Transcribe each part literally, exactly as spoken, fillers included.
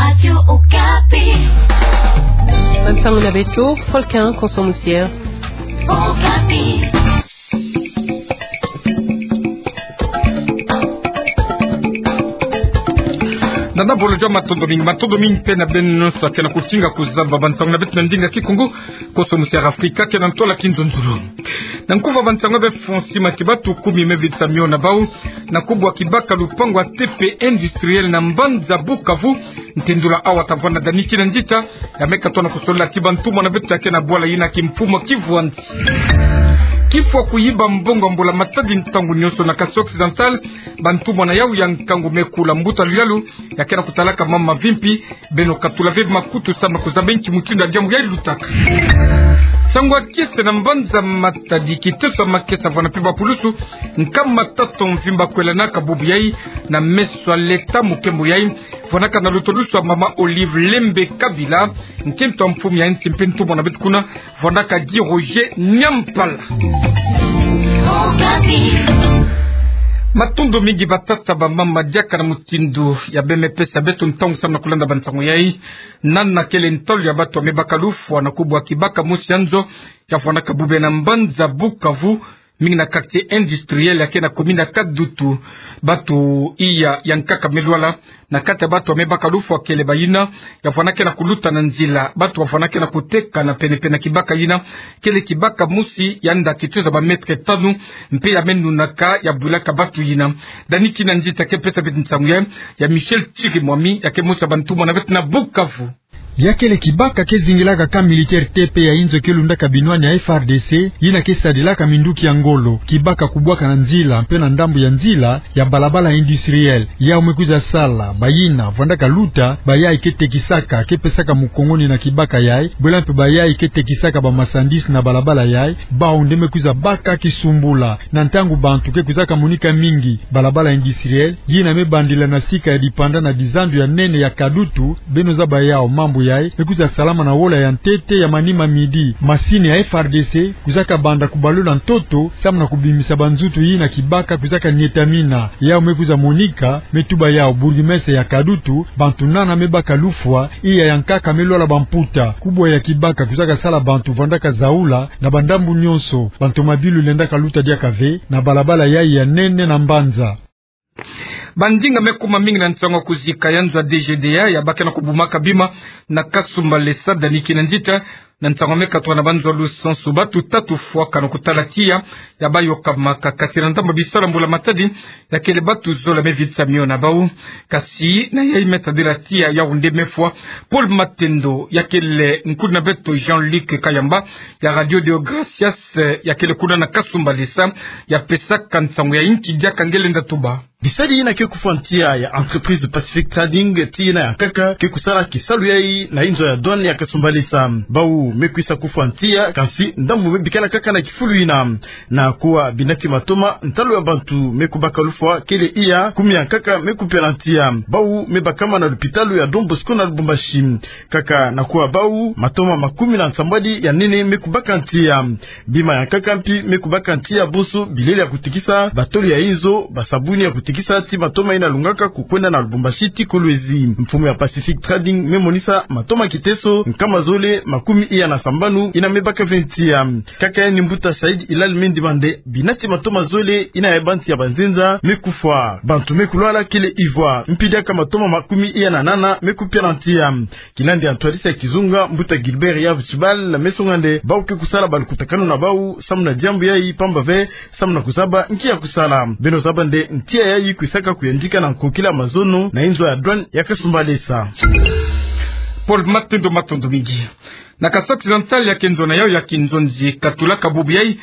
Radio Okapi. Bansango na beto, Volcan Konso Musier. Okapi. Nana bolo jwa matondo mingi, matondo mingi mpe na beno nyonso akena kutinga kuzaba bansango na beto na ndinga Kikongo, Konso Musier Afrika, kena ntwala kinzonzolo. Na nkufa bansango be Francis Matiba, tukumi me vitsa mio na bau, na kubwa kibaka lupangu ya T P Industriel na mbanza Bukavu, ntendula awa tavwanda Dani Kinanzita, ya me katoa na kusolola ti bantumwa na beto akena bwala yina kimfumu kivwanti. Kifwa kuyiba mbongo ya mbula matadi ntangu nyonso na Kasaï Occidental, bantumwa na yau ya nkangu me kula mbuta luyalu, ya kena kutalaka mama vimpi, beno katula ve makutu samu na kuzaba nki mutindu ya diambu yayi lutaka. Sango ya kiese na mbanza Matadi, kiteso ya makesa vwana mpe bapulusu nkama tatu mvimba kwelanaka bubu yayi, na meso ya leta mukembo yayi, vwanaka na lutulusu ya mama Olive Lembe Kabila, nkento ya mfumu ya nsi mpe ntumwa na beto kuna, vwanaka Guy Roger Nyampala. Matondo mingi batata, bamama, diaka na mutindu ya be me pesa beto ntangu samu na kulanda bansango yayi. Nana kele ntalu ya batu ya me baka lufwa na kubwa kibaka mosi ya nzo ya vwanaka bube na mbanza Bukavu, mingi na quartier industriel ya ke na commune ya Kadutu. Batu iya ya nkaka me lwala. Na kati ya batu ya me baka lufwa kele bayina ya vwanaka na kuluta na nzila, batu ya vwanaka na kuteka na penepene na kibaka yina. Kele kibaka mosi ya nda kituza ba mètre tanu, mpe ya me nunaka, ya bwilaka batu yina. Dani Kinanzita ke pesa beto nsangu yayi, ya Michel Chirimwami, ya ke mosi ya bantumwa na beto na Bukavu. Ya kele kibaka ke zingilaka camp militaire T P ya inzo ke lundaka binwani ya F R D C, yina ke sadilaka minduki ya ngolo. Kibaka kubwaka na nzila, mpe na ndambu ya nzila ya balabala industriel. Yau me kwiza sala bayina vwandaka luta, bayayi ke tekisaka, ke pesaka mukongoni na kibaka yayi, bwela mpe bayayi ke tekisaka ba marchandises na balabala yayi, bau nde me kwiza baka kisumbula. Na ntangu bantu ke kwizaka monika mingi, balabala industriel yina me bandila na sika ya dipanda na dizandu ya nene ya Kadutu, beno zaba yau mambu yayi me kwiza salama na wola ya ntete ya manima midi. Masini ya F R D C kwizaka banda kubalula ntoto samu na kubimisa banzutu yina kibaka kwizaka nietamina. Yau me kwiza monika, me tuba yau bourgmestre ya Kadutu, bantu nana me baka lufwa, iya ya nkaka me lwala bamputa. Kubwa ya kibaka kwizaka sala bantu vwandaka zaula na bandambu nyonso. Bantu mabilu lendaka luta diaka ve na balabala yayi ya nene na mbanza. Bandinga me kuma mingi na nsangu ya kuzika ya nzo ya D G D A ya ba ke na kubumaka bima na Kasumbalesa, Dani Kinanzita. Na nsangu me katoka na banzo ya lusansu, batu tatu fwaka na kutala tiya ya bayokamaka, kasi na ndambu ya bisalu ya mbula matadi, ya kele batu zola me vitsa mio na bau. Kasi na yayi me tadila tiya, yau nde me fwa. Paul Matendo, ya kele nkulu na beto Jean-Luc Kayamba ya Radio Deo Gracias, ya kele kuna na Kasumbalesa, ya pesaka nsangu ya inki diaka nge lenda tuba. Bisadi yina ke kufwa ntiya ya entreprise Pacific Trading, ti yina ya nkaka ke kusala kisalu yayi na inzo ya douane ya Kasumbalesa. Bau me kwisa kufwa ntiya, kasi ndambu me bikala kaka na kifulu yina. Na kuwa binati matoma, ntalu ya bantu me kubaka lufwa kele iya kumi ya nkaka me kupia na ntiya. Bau me bakama na lupitalu ya Don Bosco na Lubumbashi. Kaka na kuwa bau, matoma makumi na nsambwadi ya nene me kubaka ntiya. Bima ya nkaka mpi me kubaka ntiya bonso, bilele ya kutikisa, batolo ya inzo, basabuni ya kutikisa, ti matoma yina lungaka kukwenda na Lubumbashi ti Kolwezi. Mfumu ya Pacific Trading me monisa matoma kiteso nkama zole makumi iya na sambanu yina me baka ve ntiya. Kaka yandi mbuta Said Hilal Mendy Bande, binati matoma zole yina ya bantu ya banzenza me kufwa. Bantu me kulwala kele ivwa. Mpi diaka matoma makumi iya na nana me kupia na ntiya. Kilandi ya ntwadisi ya kizunga, mbuta Gilbert Yav Tshibal, me songa nde bau ke kusala balukutakanu na bau samu na diambu yayi, pamba ve samu na kuzaba nki ya kusala. Beno zaba nde ntiya yayi kwisaka kuyandika na nkokila mazono na inzo ya douane ya Kasumbalesa. Paul Matendo, matondo mingi. Na Kasaï Occidental, ya ke nzo na yau ya kinzonzi katulaka bubu yayi,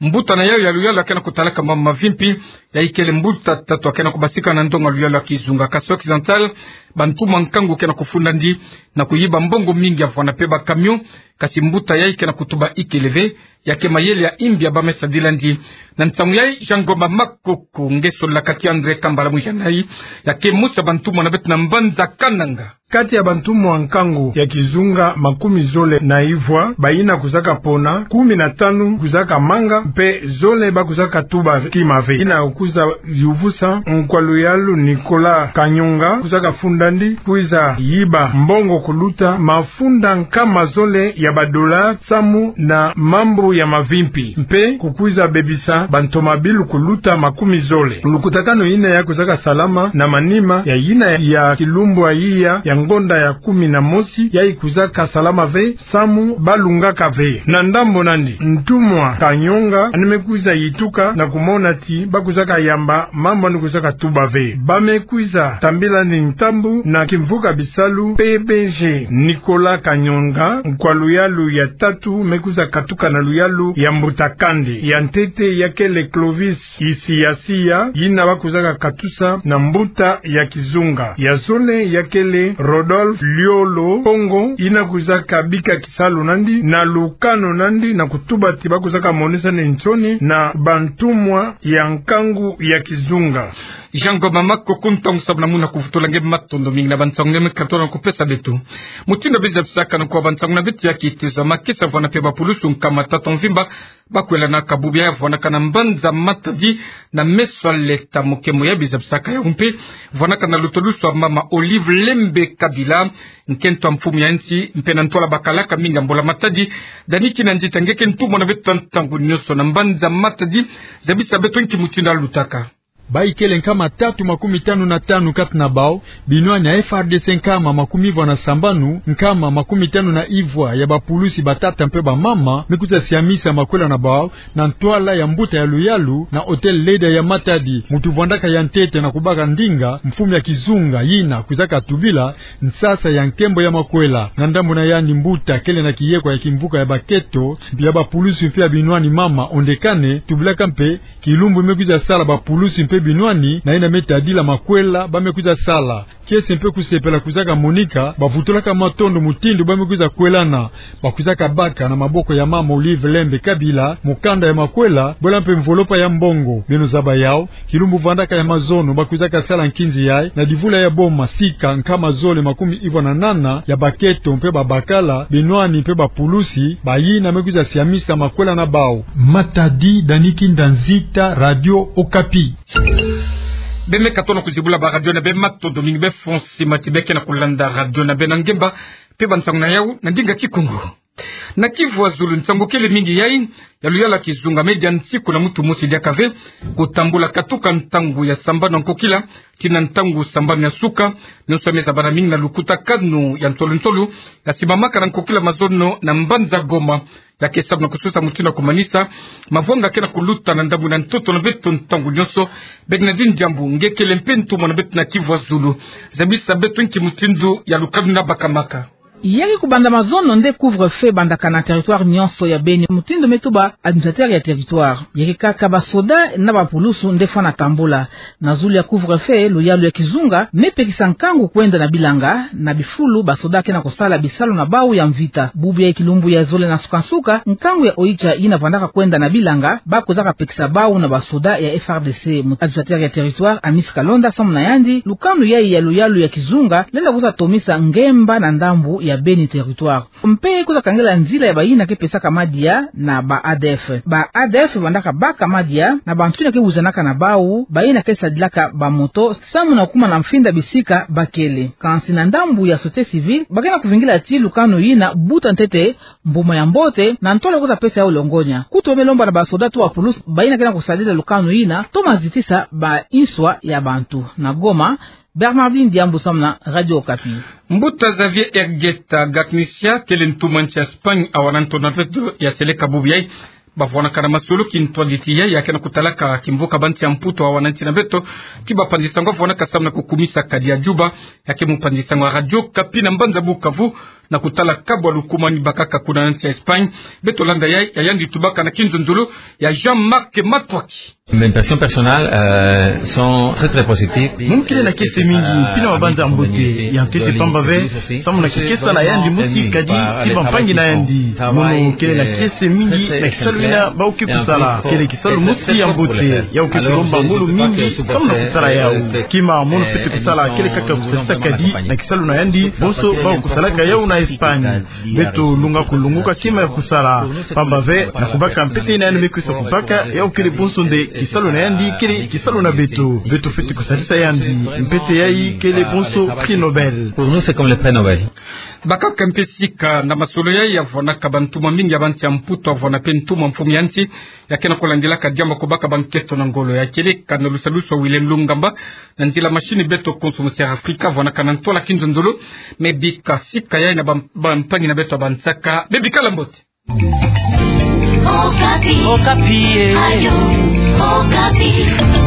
mbuta na yau ya luyalu ya ke na kutalaka mama mavimpi, yayi kele mbuta tatu ya ke na kubasika na ndonga luyalu ya kizunga. Kasaï Occidental, bantu ma nkangu ke na kufundandi na kuyiba mbongo mingi ya vwana mpe ba camion, kasi mbuta yayi ke na kutuba ikele ve, ya ke mayele ya imbi ya ba me sadilandi. Na nsangu yayi, Jean Ngoma Makoko nge sololaka ti André Kambala Mujanayi, ya ke mosi ya bantu mwana beto na mbanza Kananga. Kati ya bantumwa nkangu ya kizunga makumi zole na ivwa, bayina kwizaka pona, kumi na tanu kwizaka manga, mpe zole ba kwizaka tuba kima ve. Yina kwiza yuvusa nkwa luyalu Nicolas Kanyonga, kwizaka funda ndi kwiza yiba mbongo kuluta mafunda nkama zole ya badola samu na mambu ya mavimpi, mpe kukwiza bebisa bantomabilu kuluta makumi zole. Lukutakanu yina ya kwizaka salama na manima ya yina ya kilumbu ayiya ya ngonda ya kumi na mosi, yayi kwizaka salama ve samu balungaka ve. Na ndambu nandi, ntumwa Kanyonga yandi me kwiza yituka na kumona ti ba kwizaka yamba mambu yandi kwizaka tuba ve. Ba me kwiza tambila ni ntambu na kimvuka bisalu P B G. Nicolas Kanyonga, nkwa luyalu ya tatu, me kwiza katuka na luyalu ya mbuta kandi. Ya ntete ya kele Clovis Isiasiya, yina ba kwizaka katusa na mbuta ya kizunga. Ya zole ya kele Rodolphe Liolo Kongo, yina kwizaka bika kisalu nandi na lukanu nandi na kutuba ti ba kwizaka monisa ni nsoni na bantumwa ya nkangu ya kizunga. Jean Ngoma Makoko, ntangu samu na muna kuvutula nge, matondo mingi na bansangu nge me katola na kupesa beto. Mutindu biza bisaka na kwa bansangu na beto ya kitezo, makesa vwana mpe bapulusu nkama tatu mvimba ba kwelanaka bubu yayi vwanakana mbanza Matadi na meso a leta. Mokemo ya biza bisaka yawu mpe vwanakana lutolusu a mama Olive Lembe Kabila, nkento a mfumu ya nsi, mpe na ntwala bakalaka mingi a mbula Matadi. Dani Kinanzita, nge ke ntumwa na beto ntangu nyonso na mbanza Matadi, zabisa beto nki mutindu yalutaka. Bayi kele nkama tatu makumi tanu na tanu kati na bawu, binwani ya F R D C nkama makumi vwa na sambanu, nkama makumi tanu na ivwa ya bapulusi batata mpe bamama, me kwiza siamisa makwela na bawu na ntwala ya mbuta ya luyalu na hôtel Leda ya Matadi. Muntu vwandaka ya ntete na kubaka ndinga, mfumu ya kizunga, yina kwizaka tubila nsasa ya nkembo ya makwela. Na ndambu na yandi, mbuta kele na kiyekwa ya kimvuka ya baketo, ya bapulusi mpe ya binwani mama Ondekane, tubilaka mpe kilumbu me kwiza sala bapulusi mpe binwani, na yina me tadila makwela ba me kwiza sala. Kiese mpe kusepela kwizaka monika, bavutulaka matondo mutindu ba me kwiza kwelana, ba kwizaka baka na maboko ya mama Olive Lembe Kabila mukanda ya makwela, bwela mpe mvolopa ya mbongo. Beno zaba yawu, kilumbu vwandaka ya mazono ba kwizaka sala nkinzi yayi na divula ya boma sika nkama zole makumi ivwa na nana ya baketo mpe babakala, binwani mpe bapulusi, bayina me kwiza siamisa makwela na bawu. Matadi, Dani Kinanzita, Radio Okapi. Beno me katola na kuzibula ba radio na beno, matondo mingi. Beno fweti mati beke na kulanda radio na beno na ngemba mpe bansangu na yawu na ndinga Kikongo. Na Kivu ya Zulu, nsangu kele mingi yayi ya luyalu ya kizunga me dia nsiku na mutu mosi diaka ve, kutambula katuka ntangu ya sambanu ya nkokila tii na ntangu sambanu ya suka, nyonso me zabana mingi na lukutakanu ya ntolo-ntolo ya simamaka na nkokila mazono na mbanza Goma. Ya ke samu na kusosa mutindu ya kumanisa mavwanga ke na kuluta na ndambu na ntoto na beto ntangu nyonso. Bernadine Diambu, nge kele mpe ntumwa na beto na Kivu ya Zulu, zabisa beto nki mutindu ya lukanu yina bakamaka. Ya ke kubanda mazono nde couvre-feu bandaka na territoire nyonso ya Beni, mutindu me tuba administrateur ya territoire. Ya ke kaka basoda na bapulusu nde fwana tambula. Na zulu ya couvre-feu, luyalu ya kizunga me pekisa nkangu kwenda na bilanga, na bifulu basoda ke na kusala bisalu na bawu ya mvita. Bubu ya kilumbu ya zole na suka-suka, nkangu ya Oicha yina vwandaka kwenda na bilanga, ba kwizaka pekisa bawu na basoda ya F R D C. Mu administrateur ya territoire, Amis Kalonda, samu na yandi, lukanu yayi ya luyalu ya kizunga lenda kwiza tomisa ngemba na ndambu ya Beni territoire. Mpe kwiza kangela nzila ya bayina ke pesaka madia na ba A D F. Ba A D F bandaka baka madia na bantu yina ke wizanaka na bawu, bayina ke sadilaka bamoto, samu na kuma na mfinda bisika ba kele. Kansi na ndambu ya société civile, ba ke na kuvingila ti lukanu yina buta ntete mbuma ya mbote, na ntwala kwiza pesa yawu longonya. Kutu ba me lomba na basoda to bapulusu bayina ke na kusadila lukanu yina, toma zitisa ba inswa ya bantu. Na Goma, Bernardine Diambu samu na Radio Okapi. Mbuta Xavier Hergeta Gaknisia, kele ntumwa nsi ya Espagne, awa na ntoto na beto ya seleka bubu yayi. Ba vwanaka na masolo kintwadi ti yayi ya ke na kutalaka kimvuka bansi ya Mputu awa na nsi na beto, ki bapanzi sango vwanaka samu na kukumisa kadi ya Juba. Ya ke mupanzi sango ya Radio Okapi na mbanza Bukavu, Na kutala kabu alukumani bakaka kuna nsi ya Espagne, beto landa yai, ya yandi tubaka na kinzonzolo ya Jean-Marc Matwaki. Mes impressions personnelles, euh, sont très, très positives. Mono kele na kiese mingi, mpila mabanza ya mbote ya ntete, pamba ve samu na kikesa na yandi mosi kadi ki bampangi na yandi. Mono kele na kiese mingi na kisalu ina bau ke kusala. Kele kisalu mosi ya mbote, yau ke kulomba ngolo mingi samu na kusala yau. Kima mono fwete kusala kele kaka kusarisa kadi na kisalu na yandi bonso bau kusalaka yau na Espagne. Beto lunga kulongoka kima ya kusala, pamba ve na kubaka mpete ina yandi me kwisa kubaka, yau kele bonso nde kisalu na yandi, kele kisalu na beto. Beto fwete kusarisa yandi. Mpete yai kele bonso prix Nobel. Pour nous, c'est comme le prix Nobel. Bakaka mpe sika na masolo yai, yavwanaka bantumwa mingi ya bansi ya Mputu, yavwana mpe ntumwa mfumu ya nsi, ya ke na kulandilaka diambu ya kubaka banketo na ngolo. Ya kele kaka na lusalusu ya William Lungamba, na nzila machine beto konso Monseigneur Africa, yavwanaka na ntwala kinzonzolo, me bika sika yai na bam-, bampangi na beto ya bansaka. Be bikala mbote. Okapi. Okapi, eh. Radio Okapi.